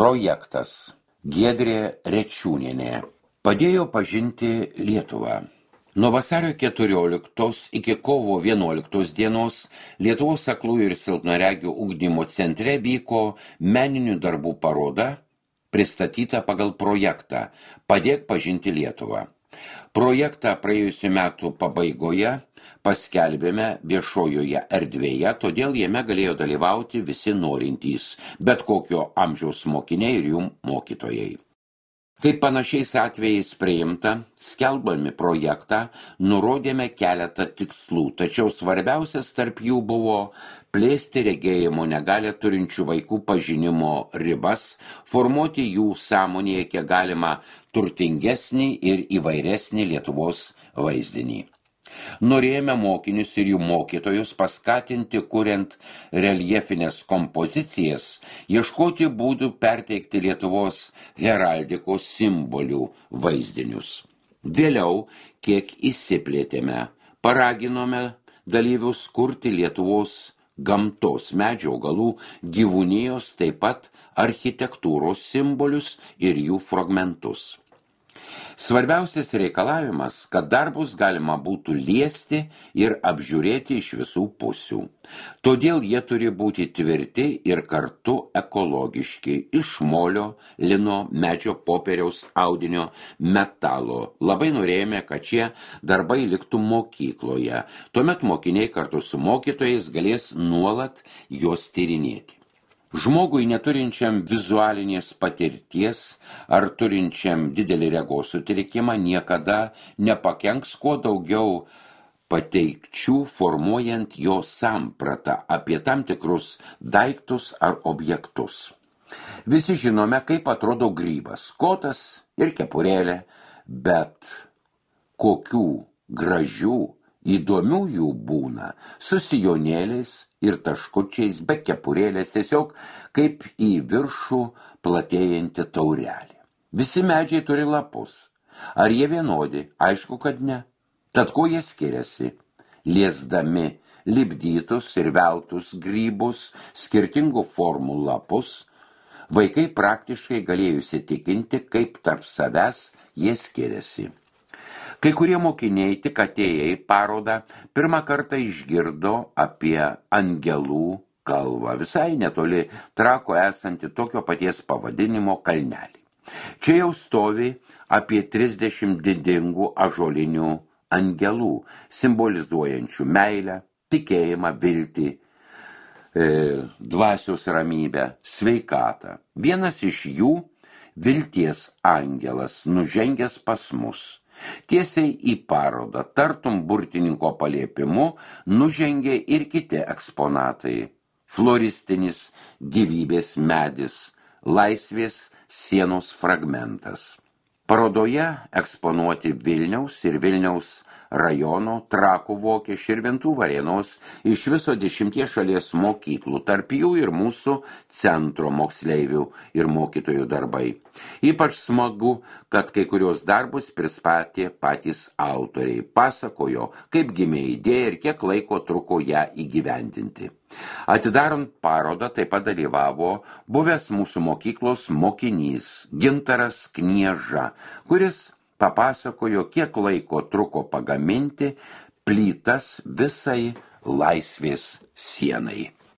Projektas Giedrė Rečiūnienė padėjo pažinti Lietuvą. Nuo vasario 14 iki kovo 11 dienos Lietuvos aklųjų ir silpnaregių ugdymo centre vyko meninių darbų paroda, pristatyta pagal projektą Padėk pažinti Lietuvą. Projektą praėjusių metų pabaigoje paskelbėme viešojoje erdvėje, todėl jame galėjo dalyvauti visi norintys, bet kokio amžiaus mokiniai ir jų mokytojai. Kaip panašiais atvejais priimta, skelbdami projektą, nurodėme keletą tikslų, tačiau svarbiausias tarp jų buvo plėsti regėjimo negalią turinčių vaikų pažinimo ribas, formuoti jų sąmonėje kiek galima turtingesnį ir įvairesnį Lietuvos vaizdinį. Norėjome mokinius ir jų mokytojus paskatinti, kuriant reljefinės kompozicijas, ieškoti būdų perteikti Lietuvos heraldikos simbolių vaizdinius. Vėliau, kiek įsiplėtėme, paraginome dalyvius kurti Lietuvos gamtos, medžių, augalų, gyvūnijos, taip pat architektūros simbolius ir jų fragmentus. Svarbiausias reikalavimas, kad darbus galima būtų liesti ir apžiūrėti iš visų pusių. Todėl jie turi būti tvirti ir kartu ekologiški, iš molio, lino, medžio, popieriaus, audinio, metalo. Labai norėjome, kad šie darbai liktų mokykloje. Tuomet mokiniai kartu su mokytojais galės nuolat juos tyrinėti. Žmogui neturinčiam vizualinės patirties ar turinčiam didelį regos sutrikimą niekada nepakenks kuo daugiau pateikčių formuojant jo sampratą apie tam tikrus daiktus ar objektus. Visi žinome, kaip atrodo grybas, kotas ir kepurėlė, bet kokių gražių, įdomių jų būna, su sijonėliais ir taškučiais, be kepurėlės, tiesiog kaip į viršų platėjanti taurelė. Visi medžiai turi lapus. Ar jie vienodi? Aišku, kad ne. Tad ko jie skiriasi? Liesdami lipdytus ir veltus grybus, skirtingų formų lapus, vaikai praktiškai galėjo įsitikinti, kaip tarp savęs jie skiriasi. Kai kurie mokiniai tik atėję į parodą pirmą kartą išgirdo apie angelų kalvą, visai netoli Trako esanti tokio paties pavadinimo kalnelį. Čia jau stovi apie 30 didingų ąžuolinių angelų, simbolizuojančių meilę, tikėjimą, viltį, dvasios ramybę, sveikatą. Vienas iš jų, vilties angelas, nužengęs pas mus. Tiesiai į parodą, tartum burtininko paliepimu, nužengė ir kiti eksponatai. Floristinis gyvybės medis, laisvės sienos fragmentas. Parodoje eksponuoti Vilniaus ir Vilniaus rajono, Trakų, Vokės, Širvintų, Varėnos, iš viso 10 šalies mokyklų, tarp jų ir mūsų centro moksleivių ir mokytojų darbai. Ypač smagu, kad kai kurios darbus pristatė patys autoriai, pasakojo, kaip gimė idėja ir kiek laiko truko ją įgyvendinti. Atidarant parodą taip pat dalyvavo buvęs mūsų mokyklos mokinys Gintaras Knieža, kuris papasakojo, kiek laiko truko pagaminti plytas visai laisvės sienai.